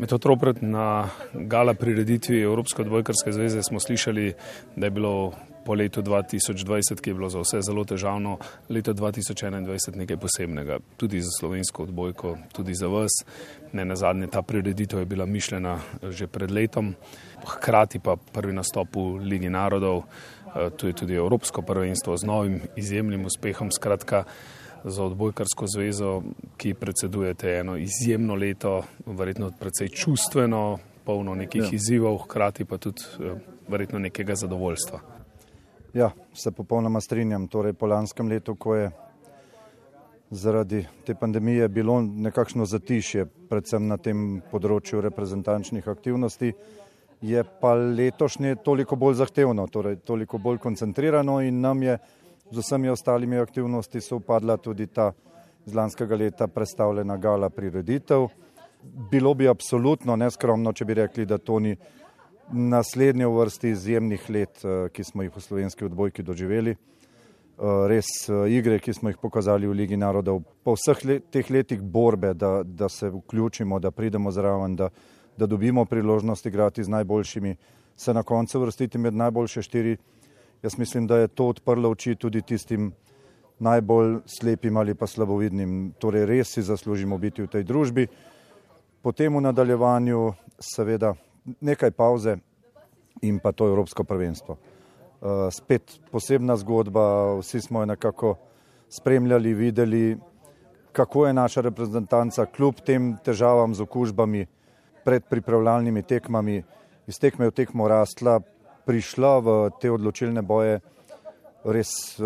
Metod Ropret, na gala prireditvi Evropske odbojkarske zveze smo slišali, da je bilo po letu 2020, ki je bilo za vse zelo težavno, leto 2021 nekaj posebnega. Tudi za slovensko odbojko, tudi za vas. Ne nazadnje, ta prireditev je bila mišljena že pred letom. Hkrati pa prvi nastop v Ligi narodov, tu je tudi Evropsko prvenstvo z novim izjemnim uspehom. Skratka, za odbojkarsko zvezo, ki predsedujete eno izjemno leto, verjetno precej čustveno, polno nekih izzivov, hkrati pa tudi verjetno nekega zadovoljstva. Ja, se popolnoma strinjam. Torej, po lanskem letu, ko je zaradi te pandemije bilo nekakšno zatišje, predvsem na tem področju reprezentančnih aktivnosti, je pa letošnje toliko bolj zahtevno, torej toliko bolj koncentrirano in nam je z vsemi ostalimi aktivnosti sovpadla tudi ta z lanskega leta predstavljena gala prireditev. Bilo bi absolutno neskromno, če bi rekli, da to ni naslednje v vrsti izjemnih let, ki smo jih v slovenski odbojki doživeli. Res igre, ki smo jih pokazali v Ligi narodov, po vseh teh letih borbe, da se vključimo, da pridemo zraven, da dobimo priložnost igrati z najboljšimi, se na koncu vrstiti med najboljše 4. Jaz mislim, da je to odprlo oči tudi tistim najbolj slepim ali pa slabovidnim. Torej res si zaslužimo biti v tej družbi. Potem v nadaljevanju seveda nekaj pauze in pa to Evropsko prvenstvo. Spet posebna zgodba, vsi smo jo nekako spremljali, videli, kako je naša reprezentanca kljub tem težavam z okužbami pred pripravljalnimi tekmami, iz tekme v tekmo rastla, prišla v te odločilne boje res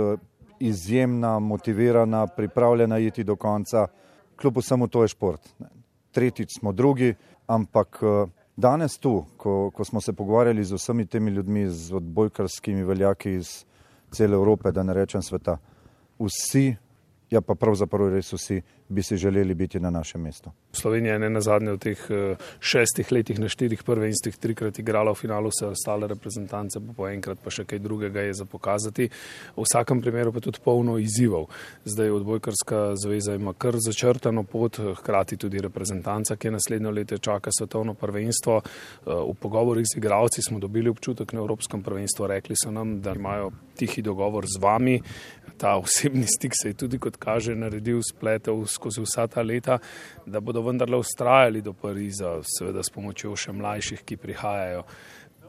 izjemna, motivirana, pripravljena iti do konca. Kljub vsemu to je šport. Tretjič smo drugi, ampak danes tu, ko smo se pogovarjali z vsemi temi ljudmi, z odbojkarskimi veljaki iz cele Evrope, da ne rečem sveta, vsi, ja pa pravzaprav res vsi, bi si želeli biti na našem mestu. Slovenija je ne nazadnje v teh 6 letih na 4 prvenstvih 3-krat igrala v finalu, vse ostale reprezentance, po enkrat pa še kaj drugega je za pokazati. V vsakem primeru pa tudi polno izzivov. Zdaj odbojkarska zveza ima kar začrtano pot, hkrati tudi reprezentanca, ki je naslednjo leto čaka svetovno prvenstvo. V pogovorih z igralci smo dobili občutek na Evropskem prvenstvu, rekli so nam, da imajo tihi dogovor z vami. Ta osebni stik se je tudi, kot kaže, naredil, spletel skozi vsa ta leta, da bodo vendarle vztrajali do Pariza, seveda s pomočjo še mlajših, ki prihajajo.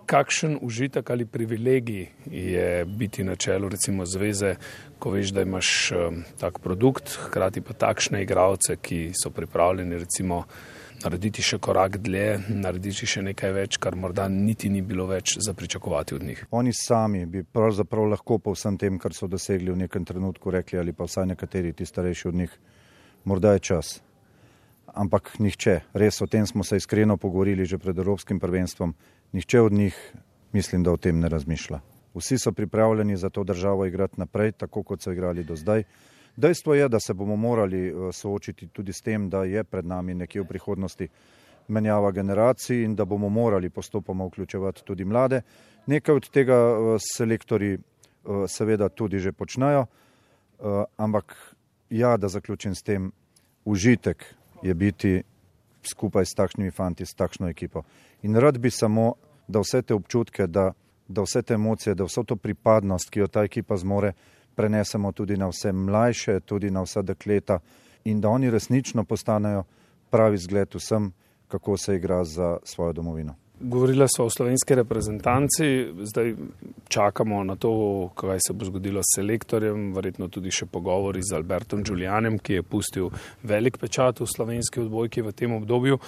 Kakšen užitek ali privilegij je biti na čelu recimo zveze, ko veš, da imaš tak produkt, hkrati pa takšne igralce, ki so pripravljeni recimo narediti še korak dlje, narediti še nekaj več, kar morda niti ni bilo več za pričakovati od njih. Oni sami bi pravzaprav lahko po vsem tem, kar so dosegli v nekem trenutku rekli, ali pa vsaj nekateri, ti starejši od njih, morda je čas. Ampak nihče, res o tem smo se iskreno pogovorili že pred Evropskim prvenstvom, nihče od njih mislim, da o tem ne razmišlja. Vsi so pripravljeni za to državo igrati naprej, tako kot so igrali do zdaj. Dejstvo je, da se bomo morali soočiti tudi s tem, da je pred nami nekje v prihodnosti menjava generacij in da bomo morali postopoma vključevati tudi mlade. Nekaj od tega selektorji seveda tudi že počnejo, ampak ja, da zaključim s tem, užitek je biti skupaj s takšnimi fanti, s takšno ekipo. In rad bi samo, da vse te občutke, da vse te emocije, da vso to pripadnost, ki jo ta ekipa zmore, prenesemo tudi na vse mlajše, tudi na vsa dekleta in da oni resnično postanejo pravi zgled vsem, kako se igra za svojo domovino. Govorila sva o slovenski reprezentanci, zdaj čakamo na to, kaj se bo zgodilo s selektorjem, verjetno tudi še pogovori z Albertom Đulijanem, ki je pustil velik pečat v slovenski odbojki v tem obdobju.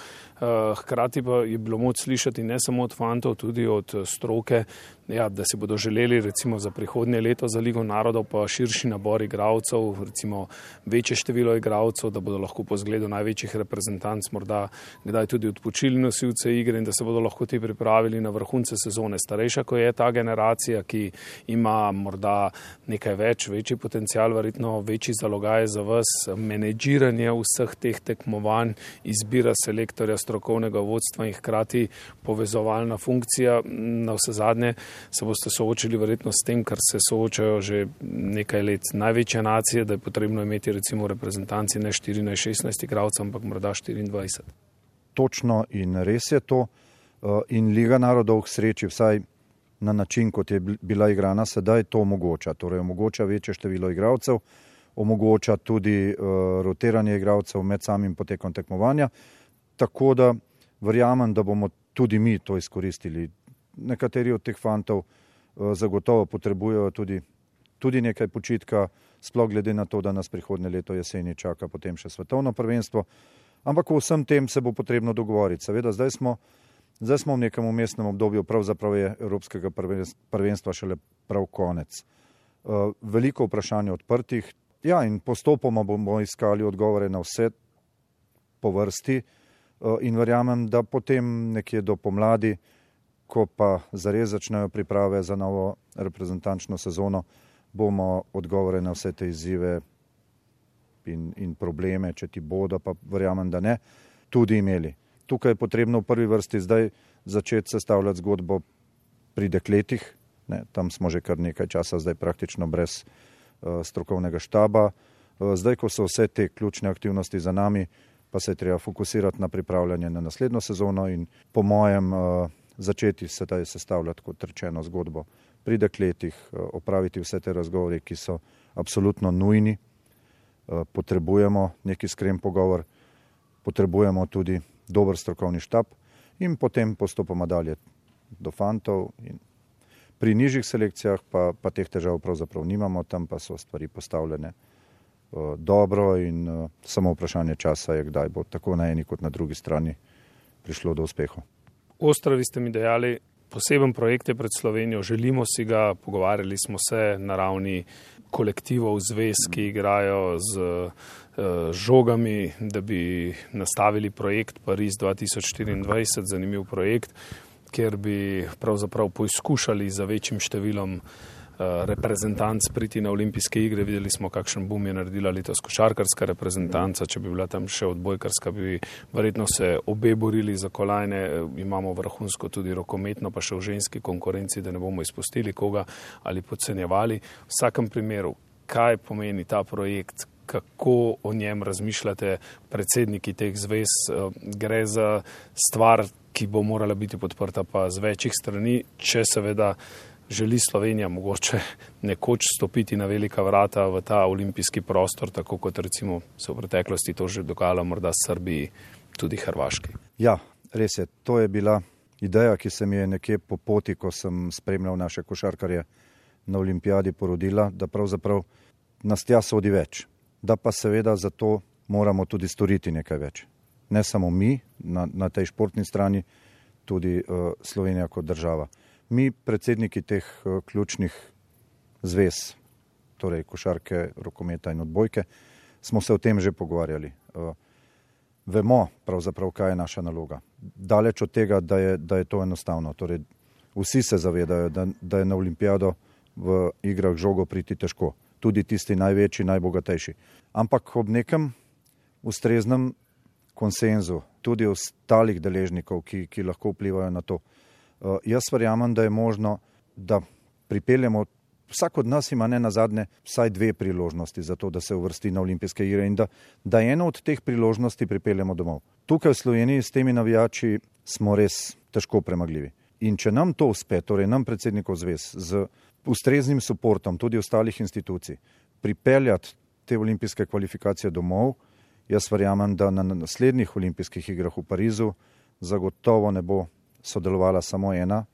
Hkrati pa je bilo moč slišati ne samo od fantov, tudi od stroke, da si bodo želeli recimo za prihodnje leto za Ligo narodov pa širši nabor igralcev, recimo večje število igralcev, da bodo lahko po zgledu največjih reprezentanc morda kdaj tudi odpočili nosilce igre in da se bodo lahko ti pripravili na vrhunce sezone. Starejša, ko je ta generacija, ki ima morda nekaj več, večji potencial, verjetno večji zalogaj za vas, menedžiranje vseh teh tekmovanj, izbira selektorja, strokovnega vodstva in hkrati povezovalna funkcija. Na vse zadnje se boste soočili verjetno s tem, kar se soočajo že nekaj let največje nacije, da je potrebno imeti recimo reprezentanci ne 14-16 igralcev, ampak morda 24. točno in res je to. In Liga narodov k sreči vsaj na način, kot je bila igrana sedaj, to omogoča. Torej omogoča večje število igralcev, omogoča tudi rotiranje igralcev med samim potekom tekmovanja. Tako da verjamem, da bomo tudi mi to izkoristili. Nekateri od teh fantov zagotovo potrebujejo tudi nekaj počitka, sploh glede na to, da nas prihodnje leto jeseni čaka potem še svetovno prvenstvo. Ampak o vsem tem se bo potrebno dogovoriti. Seveda, zdaj smo v nekem umestnem obdobju, pravzaprav je Evropskega prvenstva šele prav konec. Veliko vprašanj odprtih, ja, in postopoma bomo iskali odgovore na vse po vrsti in verjamem, da potem nekje do pomladi, ko pa zares začnejo priprave za novo reprezentančno sezono, bomo odgovore na vse te izzive in probleme, če ti bodo, pa verjamem, da ne, tudi imeli. Tukaj je potrebno v prvi vrsti zdaj začeti sestavljati zgodbo pri dekletih. Tam smo že kar nekaj časa zdaj praktično brez strokovnega štaba. Zdaj, ko so vse te ključne aktivnosti za nami, pa se je treba fokusirati na pripravljanje na naslednjo sezono in po mojem začeti sedaj sestavljati, kot rečeno, zgodbo pri dekletih, opraviti vse te razgovore, ki so absolutno nujni. Potrebujemo neki iskren pogovor, potrebujemo tudi dober strokovni štab in potem postopoma dalje do fantov. In pri nižjih selekcijah pa teh težav pravzaprav nimamo, tam pa so stvari postavljene dobro in samo vprašanje časa je, kdaj bo tako na eni kot na drugi strani prišlo do uspehov. Ostravi ste mi dejali, poseben projekt je pred Slovenijo, želimo si ga, pogovarjali smo se na ravni kolektivov, zvez, ki igrajo z žogami, da bi nastavili projekt Pariz 2024, zanimiv projekt, kjer bi pravzaprav poizkušali za večjim številom reprezentanc priti na olimpijske igre. Videli smo, kakšen boom je naredila letos košarkarska reprezentanca, če bi bila tam še odbojkarska, bi verjetno se obe borili za kolajne. Imamo vrhunsko tudi rokometno, pa še v ženski konkurenci, da ne bomo izpustili koga ali podcenjevali. V vsakem primeru, kaj pomeni ta projekt, kako o njem razmišljate predsedniki teh zvez? Gre za stvar, ki bo morala biti podprta pa z večjih strani, če seveda želi Slovenija mogoče nekoč stopiti na velika vrata v ta olimpijski prostor, tako kot recimo se v preteklosti to že dogajalo morda Srbiji, tudi Hrvaški. Ja, res je. To je bila ideja, ki se mi je nekje po poti, ko sem spremljal naše košarkarje na olimpijadi, porodila, da pravzaprav nas tja sodi več. Da pa seveda za to moramo tudi storiti nekaj več. Ne samo mi na tej športni strani, tudi Slovenija kot država. Mi, predsedniki teh ključnih zvez, torej košarke, rokometa in odbojke, smo se o tem že pogovarjali. Vemo pravzaprav, kaj je naša naloga. Daleč od tega, da je to enostavno. Torej, vsi se zavedajo, da je na olimpijado v igrah žogo priti težko. Tudi tisti največji, najbogatejši. Ampak ob nekem ustreznem konsenzu, tudi ostalih deležnikov, ki lahko vplivajo na to. Jaz verjamem, da je možno, da pripeljemo, vsak od nas ima ne nazadnje vsaj 2 priložnosti za to, da se uvrsti na olimpijske igre in da eno od teh priložnosti pripeljemo domov. Tukaj v Sloveniji s temi navijači smo res težko premagljivi. In če nam to uspe, torej nam predsednikov zvez, z ustreznim suportom tudi ostalih institucij, pripeljati te olimpijske kvalifikacije domov, jaz verjamem, da na naslednjih olimpijskih igrah v Parizu zagotovo ne bo sodelovala samo ena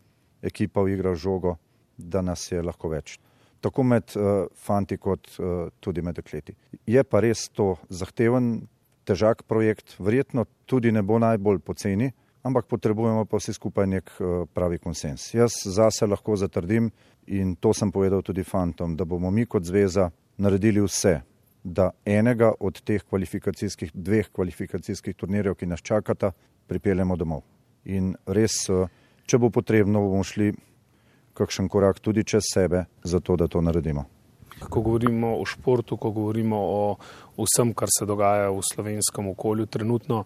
ekipa v igrah žogo, da nas je lahko več. Tako med fanti kot tudi med dekleti. Je pa res to zahteven, težak projekt, verjetno tudi ne bo najbolj poceni, ampak potrebujemo pa vsi skupaj nek pravi konsens. Jaz zase lahko zatrdim in to sem povedal tudi fantom, da bomo mi kot zveza naredili vse, da enega od teh 2 kvalifikacijskih turnirjev, ki nas čakata, pripeljemo domov. In res, če bo potrebno, bomo šli kakšen korak tudi čez sebe, zato da to naredimo. Ko govorimo o športu, ko govorimo o vsem, kar se dogaja v slovenskem okolju, trenutno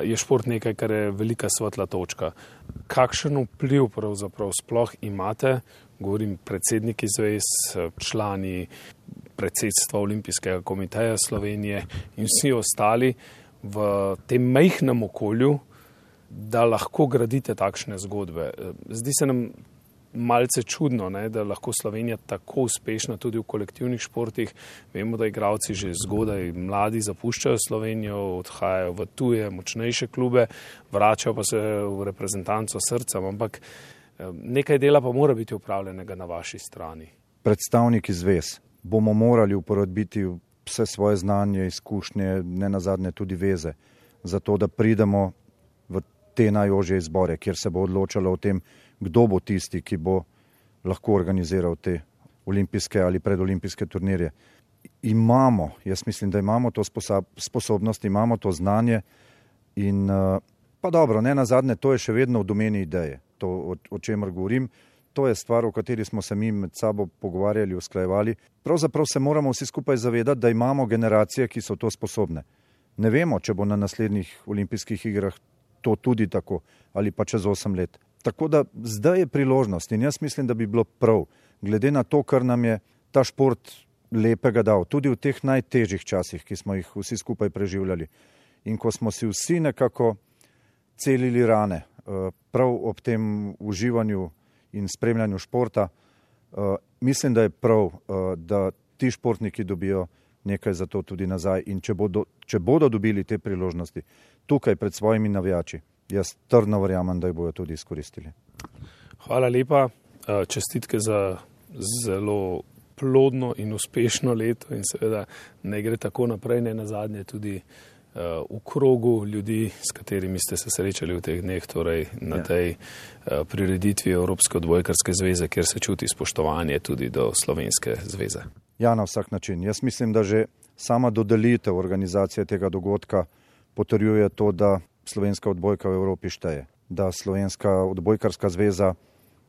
je šport nekaj, kar je velika svetla točka. Kakšen vpliv pravzaprav sploh imate, govorim predsedniki zvez, člani predsedstva Olimpijskega komiteja Slovenije in vsi ostali v tem majhnem okolju, da lahko gradite takšne zgodbe. Zdi se nam malce čudno, da lahko Slovenija tako uspešna tudi v kolektivnih športih. Vemo, da igralci že zgodaj mladi zapuščajo Slovenijo, odhajajo v tuje, močnejše klube, vračajo pa se v reprezentanco srcem, ampak nekaj dela pa mora biti upravljenega na vaši strani. Predstavniki zvez bomo morali uporabiti vse svoje znanje, izkušnje, ne nazadnje tudi veze, zato da pridemo v te najožje izbore, kjer se bo odločalo o tem, kdo bo tisti, ki bo lahko organiziral te olimpijske ali predolimpijske turnirje. Jaz mislim, da imamo to sposobnost, imamo to znanje in pa dobro, ne nazadnje, to je še vedno v domeni ideje, to, o čemer govorim. To je stvar, o kateri smo se mi med sabo pogovarjali, usklajevali. Pravzaprav se moramo vsi skupaj zavedati, da imamo generacije, ki so to sposobne. Ne vemo, če bo na naslednjih olimpijskih igrah to tudi tako ali pa čez 8 let. Tako da zdaj je priložnost in jaz mislim, da bi bilo prav, glede na to, kar nam je ta šport lepega dal, tudi v teh najtežjih časih, ki smo jih vsi skupaj preživljali. In ko smo si vsi nekako celili rane, prav ob tem uživanju in spremljanju športa, mislim, da je prav, da ti športniki dobijo nekaj za to tudi nazaj in če bodo dobili te priložnosti tukaj pred svojimi navijači, jaz trdno verjamem, da jih bodo tudi izkoristili. Hvala lepa, čestitke za zelo plodno in uspešno leto in seveda ne gre tako naprej, ne nazadnje tudi v krogu ljudi, s katerimi ste se srečali v teh dneh, torej na tej prireditvi Evropske odbojkarske zveze, kjer se čuti spoštovanje tudi do Slovenske zveze. Ja, na vsak način. Jaz mislim, da že sama dodelitev organizacije tega dogodka potrjuje to, da slovenska odbojka v Evropi šteje, da Slovenska odbojkarska zveza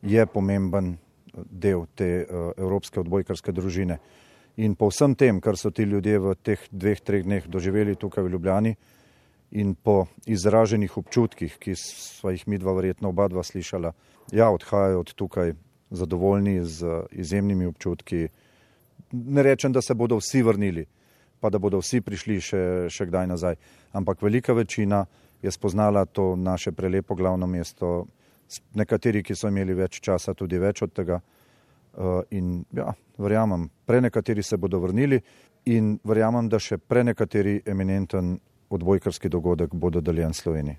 je pomemben del te Evropske odbojkarske družine. In po vsem tem, kar so ti ljudje v teh 2-3 dneh doživeli tukaj v Ljubljani in po izraženih občutkih, ki sva jih midva verjetno oba slišala, odhajajo od tukaj zadovoljni z izjemnimi občutki. Ne rečem, da se bodo vsi vrnili, pa da bodo vsi prišli še kdaj nazaj, ampak velika večina je spoznala to naše prelepo glavno mesto, nekateri, ki so imeli več časa, tudi več od tega. In verjamem, prenekateri se bodo vrnili in verjamem, da še prenekateri eminenten odbojkarski dogodek bo dodeljen Sloveniji.